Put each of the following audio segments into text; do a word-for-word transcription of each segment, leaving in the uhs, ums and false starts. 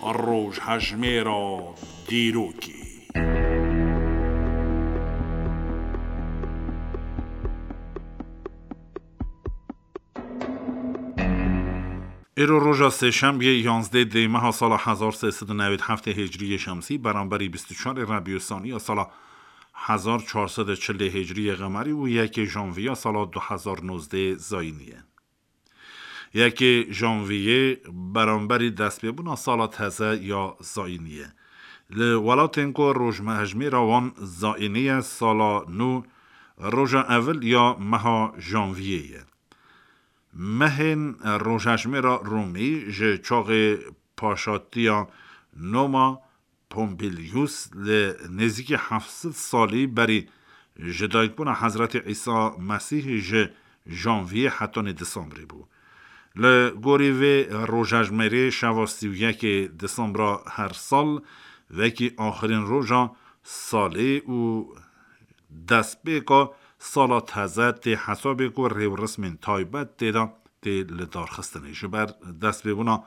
Rojhejmêra dîrokê. Îro roja sêşembiyê, yanzdeh dê meha sala hezar sê sed û newêd heftê hicriyê şemsî, beramberî bîst û çarê rebî saniya sala hezar çar sed û çilê hicriyê qemerî û yekê janviya sala du hezar nozdeh zayînî ye. Yekê janviyê beramberî destpêbûna sala teze ya zayînî ye. Li welatên ku rojhejmêra wan zayînî ye, sala nû roja evil ya meha janviyê ye. Mehên rojhejmêra Rûmî ji çaxê paşatiya Noma Pompilius li nêzîkî heft sed salî berî ji dayikbûna Hezretî Îsa Mesîh ji janviyê hetanî disembrê bû. Li gorî vê rojhejmêrê şeva sî û yekê disembra her sal wekî axirîn roja salê û destpêka sala teze tê hesabê ku rêwresmên taybet tê de tê lidarxistinê. Ji ber destpêbûna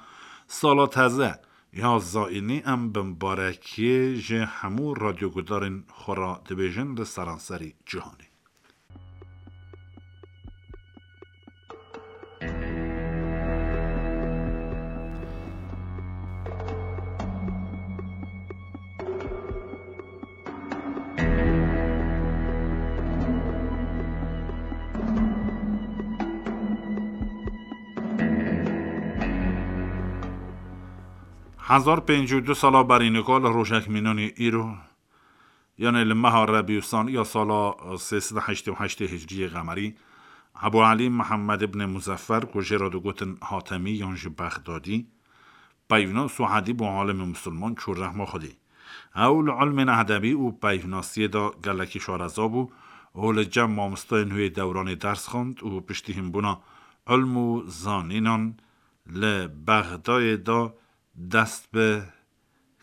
sala teze ya zayînî em bi mibarekiyê ji hemû radyogudarên xwe re dibêjin li seranserî cîhanê. Hezar pêncî û du sala berî nika li rojek mînanî îro, yanê li meha rebî saniya sala sê sed û heştê û heştê hicriyê qemerî, Ebû Elî Mihemed ibn Muzeffer, ku jê re digotin Hatemî yan jî Bexdadî, peyvnas û edîb û alimê misilman çû rehma Xwedê. Ew li ilmên edebî û peyvnasiyê de gelekî şareza bû û li cem mamostayên wê dewranê ders xwend û piştî hînbûna ilm û zanînan li Bexdayê de dest bi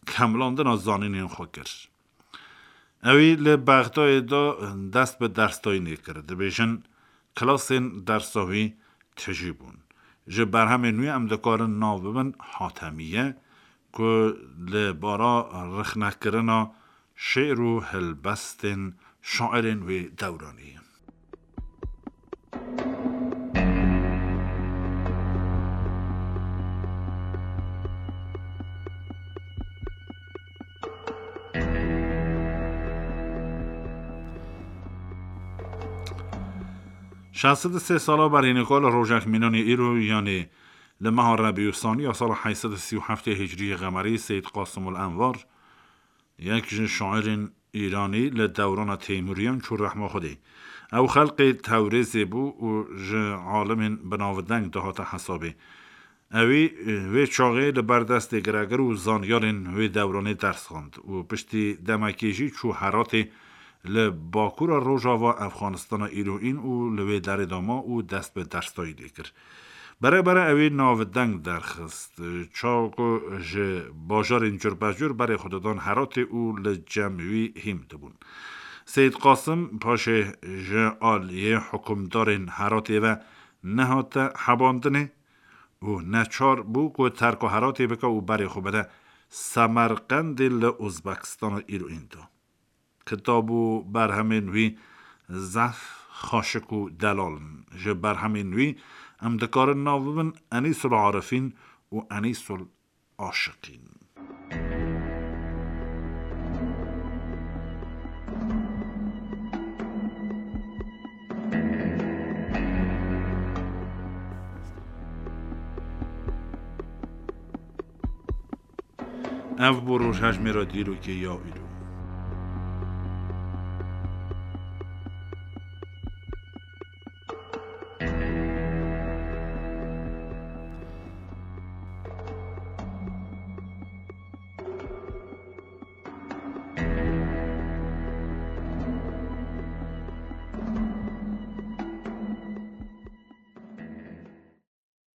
kemilandina zanînên xwe kir. Ewî li Bexdayê de dest bi derstayînê kir. Dibêjin, kilasên dersa wî tijî bûn. Ji berhemên wî em dikarin nav bibin Hatemiye, ku li bara rixnekirina şê'r û helbestên şairên wê dewranê ye. Şeş sed û sê sala berî nika li rojek mînanê îro, yanê li meha Rebî û Sanî ya sala heyt sed û sî û heftê Hicriyê Qemerî, Seyîd Qasimul Envar, yek ji şairên Îranî li dewrana Teymûriyan çû rehma Xwedê. Ew xelqê Tewrêzê bû û ji alimên binavdeng dihate hesabê. Ewî, e, wê çaxê li ber destê giregir û zanyarên wê dewranê ders xwend û piştî demekê jî çû Heratê li bakûra rojava Efxanistana îroîn û li wê derê de ma û dest bi derstayînê kir. Bere bere ewî navdeng derxist. Çawa ku ji bajarên curbecur berê xwe didan Heratê û li cem wî hîm dibûn. Seyîd Qasim paşê ji aliyê hukimdarên Heratê ve nehate hebandinê û neçar bû ku terka Heratê bike û berê xwe bide Semerqendê li Uzbekistana îroîn de. Kitab û berhemên wî zehf xaşik û delal in. Ji berhemên wî em dikarin nav bibin Enîsul Arifîn û Enîsul Aşiqîn. Ev bû rojhejmêra dîrokê ya îro.